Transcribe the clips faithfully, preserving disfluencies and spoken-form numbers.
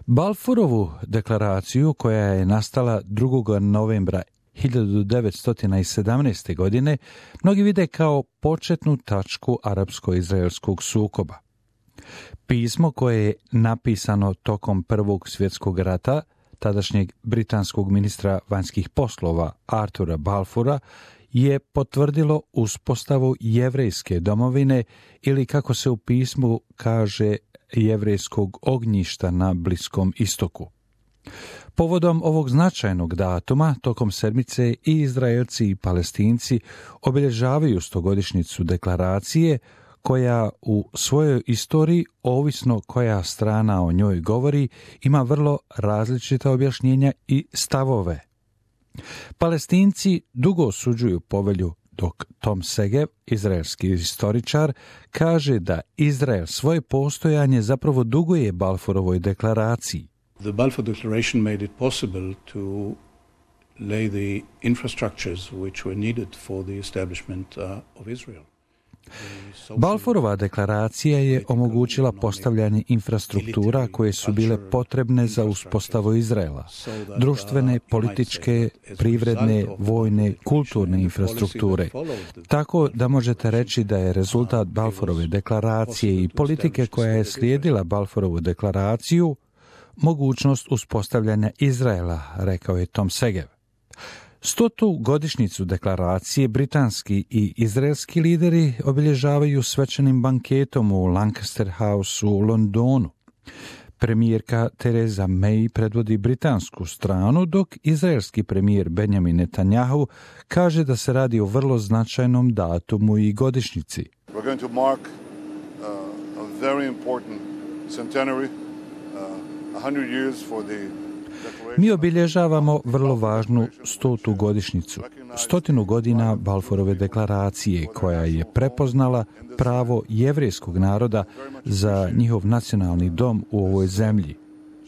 Balfourovu deklaraciju, koja je nastala drugog novembra hiljadu devetsto sedamnaeste. godine, mnogi vide kao početnu tačku arapsko-izraelskog sukoba. Pismo koje je napisano tokom Prvog svjetskog rata tadašnjeg britanskog ministra vanjskih poslova Artura Balfoura je potvrdilo uspostavu jevrejske domovine ili, kako se u pismu kaže, jevrejskog ognjišta na Bliskom istoku. Povodom ovog značajnog datuma, tokom sedmice i Izraelci i Palestinci obilježavaju stogodišnjicu deklaracije, koja u svojoj istoriji, ovisno koja strana o njoj govori, ima vrlo različita objašnjenja i stavove. Palestinci dugo osuđuju povelju, dok Tom Segev, izraelski istoričar, kaže da Izrael svoje postojanje zapravo duguje Balfourovoj deklaraciji. The Balfour Declaration made it possible to lay the infrastructures which were needed for the establishment uh, of Israel. Balfourova deklaracija je omogućila postavljanje infrastruktura koje su bile potrebne za uspostavu Izraela, društvene, političke, privredne, vojne, kulturne infrastrukture. Tako da možete reći da je rezultat Balfourove deklaracije i politike koja je slijedila Balfouravu deklaraciju mogućnost uspostavljanja Izraela, rekao je Tom Segev. Stotu godišnjicu deklaracije britanski i izraelski lideri obilježavaju svečanim banketom u Lancaster House u Londonu. Premijerka Theresa May predvodi britansku stranu, dok izraelski premijer Benjamin Netanyahu kaže da se radi o vrlo značajnom datumu i godišnjici. We're going to mark uh, a very important centenary, uh, one hundred years for the Mi obilježavamo vrlo važnu stotu godišnjicu, stotinu godina Balfourove deklaracije, koja je prepoznala pravo jevrejskog naroda za njihov nacionalni dom u ovoj zemlji.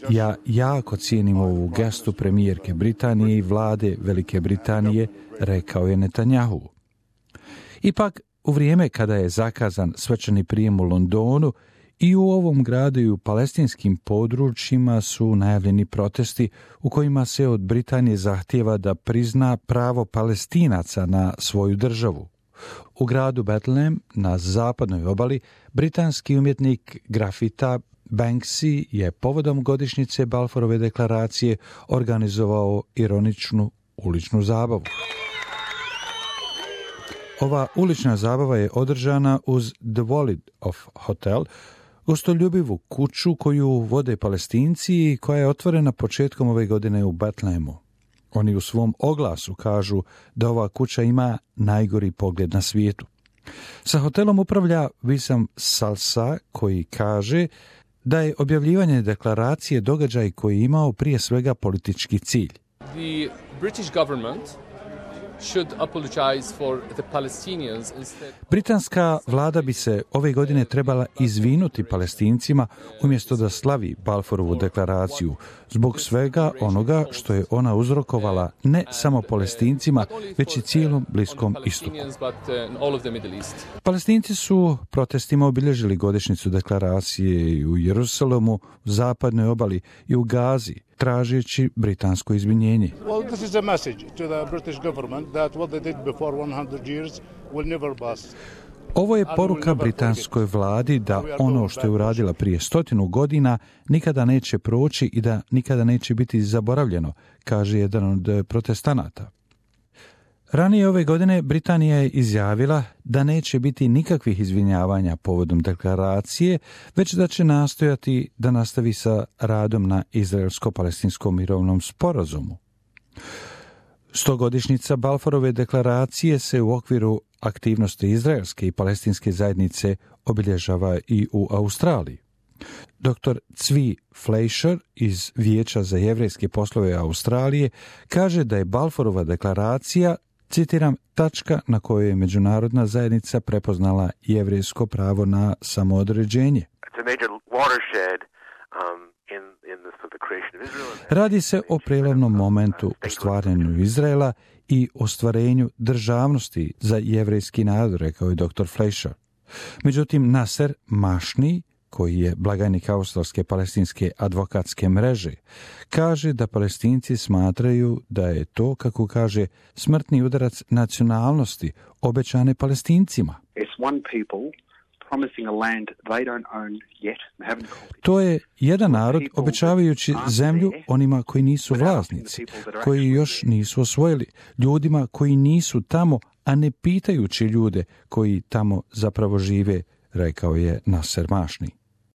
Ja jako cijenim ovu gestu premijerke Britanije i vlade Velike Britanije, rekao je Netanyahu. Ipak, u vrijeme kada je zakazan svečani prijem u Londonu, i u ovom gradu i u palestinskim područjima su najavljeni protesti u kojima se od Britanije zahtijeva da prizna pravo Palestinaca na svoju državu. U gradu Bethlehem na zapadnoj obali britanski umjetnik grafita Banksy je povodom godišnjice Balfourove deklaracije organizovao ironičnu uličnu zabavu. Ova ulična zabava je održana uz The Walled-Off Hotel, gostoljubivu kuću koju vode Palestinci i koja je otvorena početkom ove godine u Bethlehemu. Oni u svom oglasu kažu da ova kuća ima najgori pogled na svijetu. Sa hotelom upravlja Wissam Salsa, koji kaže da je objavljivanje deklaracije događaj koji je imao prije svega politički cilj. The British government should apologize for the Palestinians instead. Britanska vlada bi se ove godine trebala izvinuti Palestincima umjesto da slavi Balfourovu deklaraciju zbog svega onoga što je ona uzrokovala ne samo Palestincima, već i cijelom Bliskom istoku. Palestinci su protestima obilježili godišnjicu deklaracije i u Jerusalemu, u zapadnoj obali i u Gazi, tražeći britansko izvinjenje. Well, this is a message to the British government that what they did before one hundred years will never pass. Ovo je poruka britanskoj vladi da ono što je uradila prije stotinu godina nikada neće proći i da nikada neće biti zaboravljeno, kaže jedan od protestanata. Ranije ove godine Britanija je izjavila da neće biti nikakvih izvinjavanja povodom deklaracije, već da će nastojati da nastavi sa radom na izraelsko-palestinskom mirovnom sporazumu. Stogodišnjica Balfourove deklaracije se u okviru aktivnosti izraelske i palestinske zajednice obilježava i u Australiji. doktor Zvi Fleischer iz Vijeća za jevrejske poslove Australije kaže da je Balfourova deklaracija, citiram, tačka na kojoj je međunarodna zajednica prepoznala jevrejsko pravo na samoodređenje. Radi se o prijelomnom momentu u stvaranju Izraela i ostvarenju državnosti za jevrejski narod, rekao je doktor Fleischer. Međutim, Nasser Mašni, koji je blagajnik Australske palestinske advokatske mreže, kaže da Palestinci smatraju da je to, kako kaže, smrtni udarac nacionalnosti obećane Palestincima. To je jedan narod obećavajući zemlju onima koji nisu vlasnici, koji još nisu osvojili, ljudima koji nisu tamo, a ne pitajući ljude koji tamo zapravo žive, rekao je Nasser Mašni.